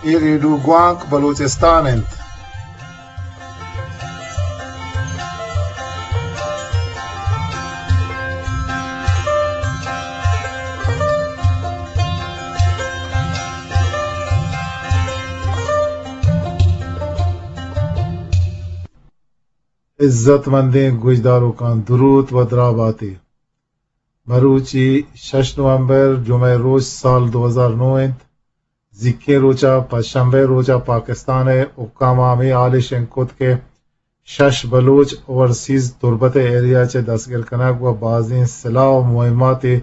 اے ریڈیو گوانک بلوچستان انت۔ عزت مندیں گوشداروکاں، دروت و دراباتے۔ مروچی شش نومبر، جمعہ روچ، سال دو ہزار نو انت۔ زیکیں روچا، پنچ شنبہ روچا، پاکستان ء حکام ء ہمے حال ء شنگ کت کہ شش بلوچ اوورسیز تربت ء ایریا چہ دستگر کنگ و بازیں سلاہ و مہماتے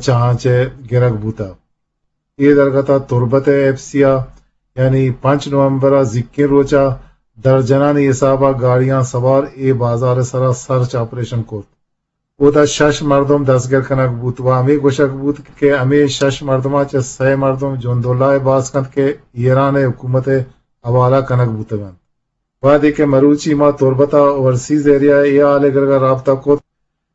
چہ آں چہ گرگ بوتگ۔ اے درگت ء تربت ء ایف سی ء یعنی پنچ نومبر ء زیکیں روچ ء درجنانی حساب ء گاڑیاں سوار اے بازار ء سرا سرچ آپریشن کرت۔ اودا شش مردم دستگر کنگ بوت و ہمے گوشگ بوت کہ ہمے شش مردماں چہ سئے مردم جندولا ء باز کنت کہ ایران ء حکومت ء حوالہ کنگ بوتگ انت۔ وہدے کہ مروچی ما تربت ء اوورسیز ایریا ء اے حال ء گرگ ء رابطہ کت،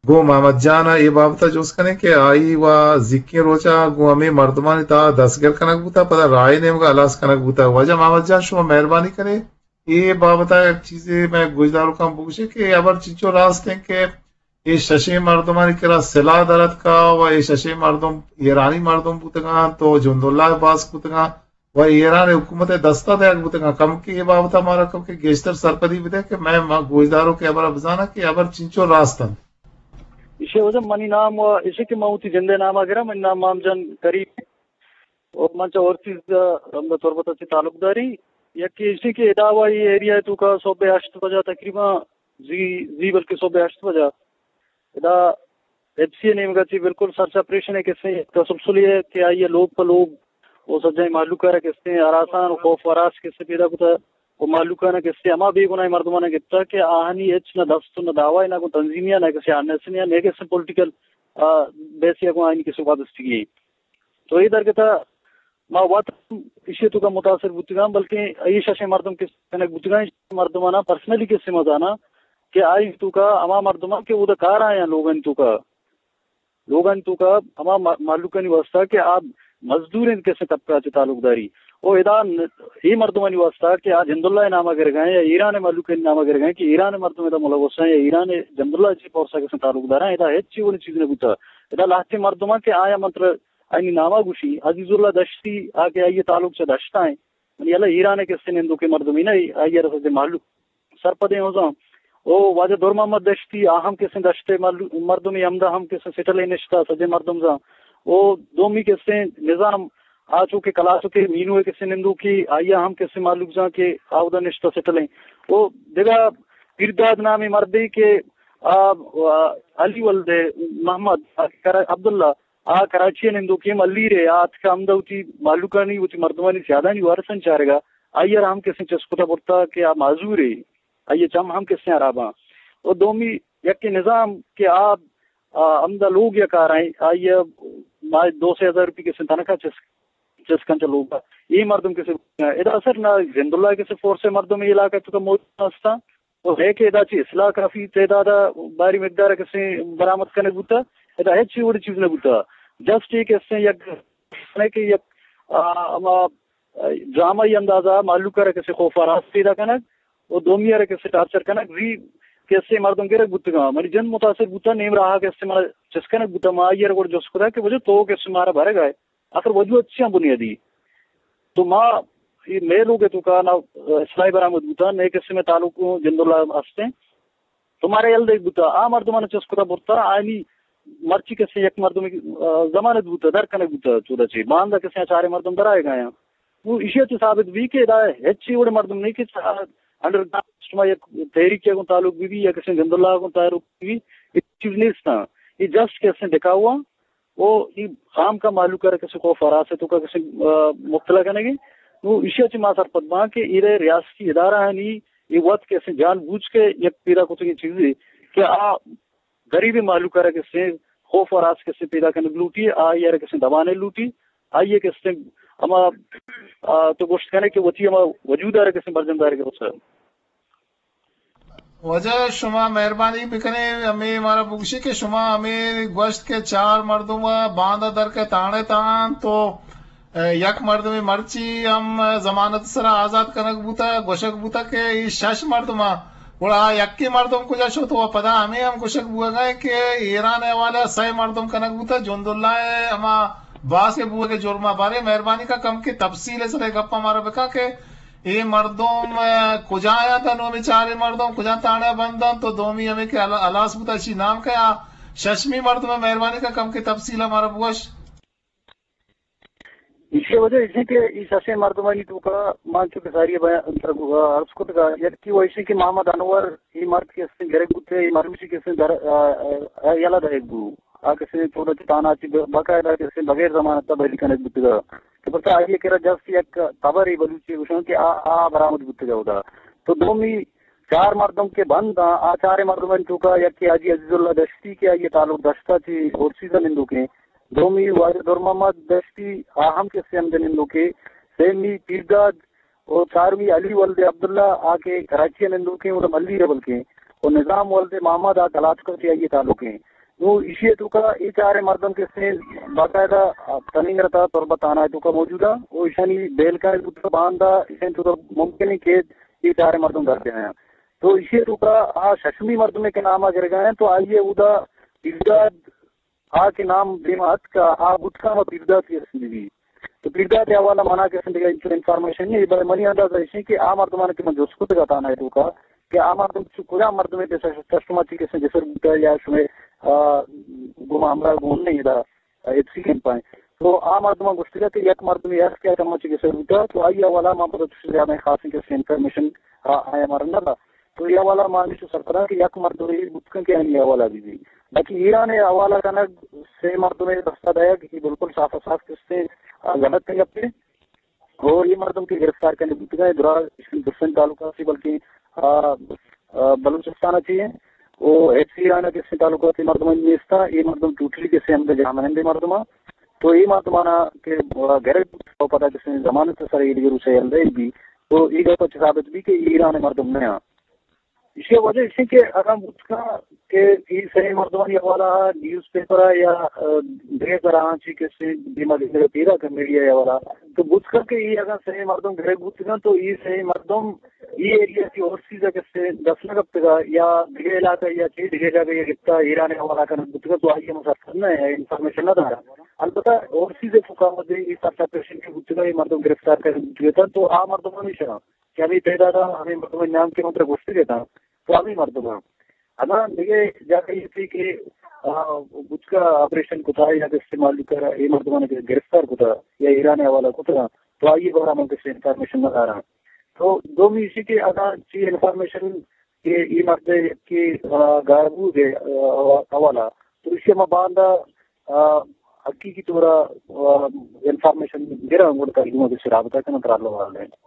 گوں محمد جان ء اے بابت ء جست کنیں کہ آئی و زیکیں روچ ء گوں ہمے مردمانی تہا دستگر کنگ بوتگ، پدا راہ ء نیمگ ء ہلاس کنگ بوتگ۔ واجہ محمد جان، شما مہربانی کنے اے بابت ء یک چیزے مئے گوشداروکاں بگوشے کہ اے ہبر چنچو راست انت کہ اے ششیں مردمانی کرا سلاہ در اتکا و اے ششیں مردم ایرانی مردم بوتگاں تو جنداللہ ء باسک بوتگاں و ایران حکومت ء دستا دئیگ بوتگاں۔ کمکے اے بابت ء مارا کمکے گیشتر سرپدی بدئے کہ مئے ما گوشداروک اے ہبر ء بزاناں کہ اے ہبر چنچو راست انت۔ ایشی وجہ منی نام و ایشی کہ من وتی جندے نام ء گراں، منی نام مام جان کریم و من چہ اورسیز ء ہمدا تربت ء چہ تعلق داری۔ یکے ایشی کہ ادا و اے ایریا ء توکا صبح ہشت بجا تقریباً زی، زی بلکہ صبح ہشت بجا ادا ایف سی ء نیمگا چہ بالکل سرچ آپریشن ء کسیں تسلسلے ء کہ آئی ء لوگ پہ لوگ و سجہیں مہلوک ء را کسیں ہراسان و خوف و ہراس کسے پیدا کتہ و مہلوکاں کسے ہما بے گناہیں مردماں گپتہ کہ آہانی ہچ نہ دست و نہ دعوی نہ گوں تنظیمی ء نہ کسے آر این ایس ء نہ کسے پولیٹیکل، آ، بیسے ء گوں آہانی کسے وابستگی۔ تو اے درگت ء ما وت ہم ایشی ء توکا متاثر بوتگاں، بلکیں اے ششیں مردم کسے کنگ بوتگاں، اے ششیں مردماناں پرسنلی کسے ما زاناں کہ آئی توکا ہما مردماں کہ اودا کار آیاں لوگانی توکا، لوگانی توکا ہما ما-، مہلوکانی واسطہ کہ آ مزدوریں کسے طبقہ چہ تعلق داری۔ او ادا ن-، اے مردمانی واسطہ کہ آ جنداللہ ء نام ء گرگائیں یا ایران ء مہلوکانی نام ء گرگائیں کہ ایران ء مردم ادا ملوث ہیں یا ایران ء جنداللہ چہ فورس ء کسے تعلق داراں، ادا ہچ وڑیں چیز نہ بوتا۔ ادا لہتیں مردماں کہ آیاں من ترا آیانی ناما گوشی، عزیز اللہ دشتی، آ کہ آئی تعلق چہ دشتا ہیں، منی اللہ ایران ء کسے نندوکیں مردمے نہ، آئی ء را سجہ مہلوک سرپدیں ہوزاں۔ او واجہ دور محمد دشتی، آ ہم کسے دشت ء مہلو-، مردمے، ہمدا ہم کسے سٹل ء نشتا، سجہ مردم زاں۔ او دومی کسے نظام، آ چو کہ کلاسکے مینو ء کسے نندوکے، آئی ء ہم کسے مہلوک زاں کہ آ اودا نشتا سٹل ہیں۔ او دگہ پیرداد نامیں مردے کہ آ، آ، علی ولد محمد، آ، کرا-، عبداللہ، آ کراچی ء نندوکیں ملیر ء، آ اتکا ہمدا وتی مہلوکانی، وتی مردمانی سیادانی وارثانی چارگا، آئی ء را ہم کسیں چست کتا برتا کہ آ معذور ء، آئی ء چم ہم کسیں ہراباں۔ و دومی یکے نظام کہ آ، آ ہمدا لوگ یا کارائیں، آئی ء ماہ دو سے ہزار روپی کسیں تنخواہ چست، چست کنچ لوگ ء۔ اے مردم کسے ادا اثر نہ زنداللہ کسے فورس ء مردم اے علاقہ توکا موجود ہستاں۔ و ہے کہ ادا چہ اسلحہ کافی تعداد ء باری مقدار ء کسے برآمد کنگ بوتا، ادا ہچ وڑی چیز نہ بوتا۔ جسٹ اے کسے یک، کہ یک، آ، ہما، آ، ڈرامائی اندازہ مہلوک ء را کسے خوف ء ہراس پیدا کنگ و دومی ء را کسے ٹارچر کنگ، زی کسے مردم گرگ بوتگاں۔ منی جند متاثر بوتا، نیم راہ ء کسے مارا چست کنگ بوتا، ما آئی ء را گڑا جست کتا کہ وجہ تو کسے مارا برگ ء آخر وجوہات چیاں بنیادی؟ تو ما اے مئے لوگ ء توکا نہ اسلحہ برآمد بوتا، نئے قسم ء تعلق جند اللہ ہستیں۔ تو مارا یل دیگ بوتا، آ مردماں چست کتا برتا، آیانی مرچی کسے یک مردم، آ، ضمانت بوتا، در کنگ بوتا چودا چے، باندا کسے چارے مردم در آئے گایاں۔ نو ایشی ء چہ ثابت بی کہ ادا ہچ وڑے مردم نہیں کہ انڈر گراؤنڈ سسٹم ء یک تحریک ء گوں تعلق بی بی یا کسے جند اللہ ء گوں تعلق بی بی، اے چیز نیستاں۔ اے جسٹ کسے دکھاوا او اے خام کا مہلوک ء را کسے خوف ہراس ء توکا کسے، آ، مبتلا کنگے۔ نو ایشی ء چہ ما سرپد باں کہ ایرے ریاستی ادارہ آنی اے وت کسے جان بوجھ کے یک پیدا کتگیں چیزے کہ آ غریبیں مہلوک ء را کسے خوف ہراس کسے پیدا کنگ لوٹی، آئی ء را کسے دبانے لوٹی، آئی ء کسے ہما، آ، تو گوشت کنے کہ وتی ہما وجود ء را کسے برجم دارگ ء واجہ، شما مہربانی بکنے، ہمے مارا بگوشی کہ شما ہمے گوشت کہ چار مردم ء باندا در کے تانے تان تو یک مردمے مرچی ہم ضمانت سرا آزاد کنگ بوتگ، گوشگ بوتگ کہ اے شش مردماں، گڑا آ یکے مردم کجا شت؟ و پدا ہمے ہم گوشگ بوگا کہ ایران ء حوالہ ء سئے مردم کنگ بوتگ، جند اللہ ء ہما باس ء بوگ ء جرما۔ بارے مہربانی کا کم کہ تفصیل ء سرا گپا مارا بکا کہ اے مردم، ء، کجا آیاں تا نومی چاریں مردم کجا تھانہ بند انت؟ تو دومی ہمے کہ ہلا-، ہلاس بوتا، اشی نام کیا؟ ششمی مردم ء مہربانی کا کم کہ تفصیل ء مارا بگوش۔ ایشی وجہ ایشی کہ ای ششیں مردمانی توکا مان چو کہ ساری بیان عرض کتگا، یکی و ایشی کہ محمد انور، ای مرد کہ استیں گرگ بوتے، ای مروشی کہ استیں در، آ، آ، آ، یلہ دئیگ بو۔ آ کہ استیں چودا چہ تھانہ چہ ب-، باقاعدہ کہ استیں بغیر ضمانت بری کنگ بوتگا۔ کہ پرچا آئی ء کرا جست یک خبرے بلوچی گوشاں کہ آ، آ برآمد بوتگ ء اودا۔ تو دومی چار مردم کہ بند آں، آ چاریں مردمانی توکا یکے حاجی عزیز اللہ دشتی کہ آئی ء تعلق دشت ء چہ اورسیز ء نندوکیں، دومی واجہ در محمد دشتی، آ ہم کہ استیں ہمد ء نندوکیں، سیمی پیرداد و چارمی علی ولد عبداللہ آ کہ کراچی ء نندوکیں، اودا ملی ء بلکیں، و نظام ولد محمد آ کلاتک ء چہ آئی ء تعلقیں۔ نوں ایشی ء توکا اے چاریں مردم کہ استیں باقاعدہ تنینگر تا تربت تھانہ ء توکا موجود ء، و ایشانی بیل کنگ بوتگ باندا، ایشانی توکا ممکن ہے کہ اے چاریں مردم در بیایاں۔ تو ایشی ء توکا آ ششمی مردمے کہ نام ء گرگا ہیں، تو آئی ء اودا پیرداد آ کہ نام دیما اتکا، آ بوتکا ہما پیرداد کہ استیں بی۔ تو پیرداد ء حوالہ منا کہ استیں دگہ انچو انفارمیشن نہیں، بلے منی اندازہ ایشی کہ آ مردمان کہ من جست کتگا تھانہ ء توکا، کہ آ مردم چو کجام مردمے پیسر، چہ شما چی کسے جسر بوتا یا شمے، آ، گما ہمراہ گون نہیں دا، آ، ایف سی کیمپ آئیں۔ تو آ مردمان گوشتگا کہ یک مردمے است کہ آ چما چی کسے بوتا، تو آئی حوالہ ما پتہ چوش زیادہ خاصیں کسے انفارمیشن آ، آیا مارا نہ دا۔ تو اے حوالہ ما ہمیشو سرپداں کہ یک مردمے بوتکن کہ آنی حوالہ بی بی۔ باقی ایران حوالہ کنگ سے مردمے دستا دئیگ، یہ بالکل صاف صاف کسے، آ، غلط گپے۔ اور یہ مردم کہ گرفتار کرنے بوتگا ہے، درا درسن تعلقات سے بلکہ، آ، آ، بلوچستان چی ہیں، وہ ایف سی ایران کے سے تعلقات سے مردم نیستا، یہ مردم ٹوٹلی کے سے ہم جامنندے مردم۔ تو یہ مردمانا کہ، آ، گرگ تو پتہ کہ سے ضمانت سر یہ دیگر اسے ہم دے بھی، تو یہ گپ ثابت بھی کہ ایران مردم نہ۔ ایشی وجہ ایشی کہ اگاں بوت کن کہ اے سئے مردمانی حوالہ ء نیوز پیپر ء یا، آ، دگہ زراں چی کسے دیما دیما پیدا کن میڈیا ء حوالہ، تو بوت کن کہ اے اگاں سئے مردم گرگ بوت کن تو اے سئے مردم اے ایریا چی اورسیز ء کسے دست نہ کپتگ ء یا دگہ علاقہ یا چی دگہ جاگہ یا گپتا ایران ء حوالہ کنگ بوت کن تو آئی ء مسافر نہ انفارمیشن نہ دارا۔ البتہ اورسیز ء فکا مدے اے سرچ آپریشن کہ بوت کن اے مردم گرفتار کنگ بوت کن تو آ مردم ہمیشہ کہ ہمے تعداد ء ہمے مردمانی نام کہ من ترا گوشتگ اتاں، تو ہمے مردماں۔ اگاں دگہ جاگہ ایتی کہ، آ، بوتکا آپریشن کتا یا کہ استعمال کتا، اے مردماں کہ گرفتار کتا یا ایران حوالہ کتا، تو آئی بارہ من کسی انفارمیشن نہ داراں۔ تو دومی ایشی کہ اگاں چی انفارمیشن کہ اے مرد کہ، آ، گار بوگ ء، آ، حوالہ، تو ایشی ما باندا، آ، حقیقی طور ء، آ، انفارمیشن گراں گڑا ترجمہ کسی رابطہ کناں ترا اللہ والے۔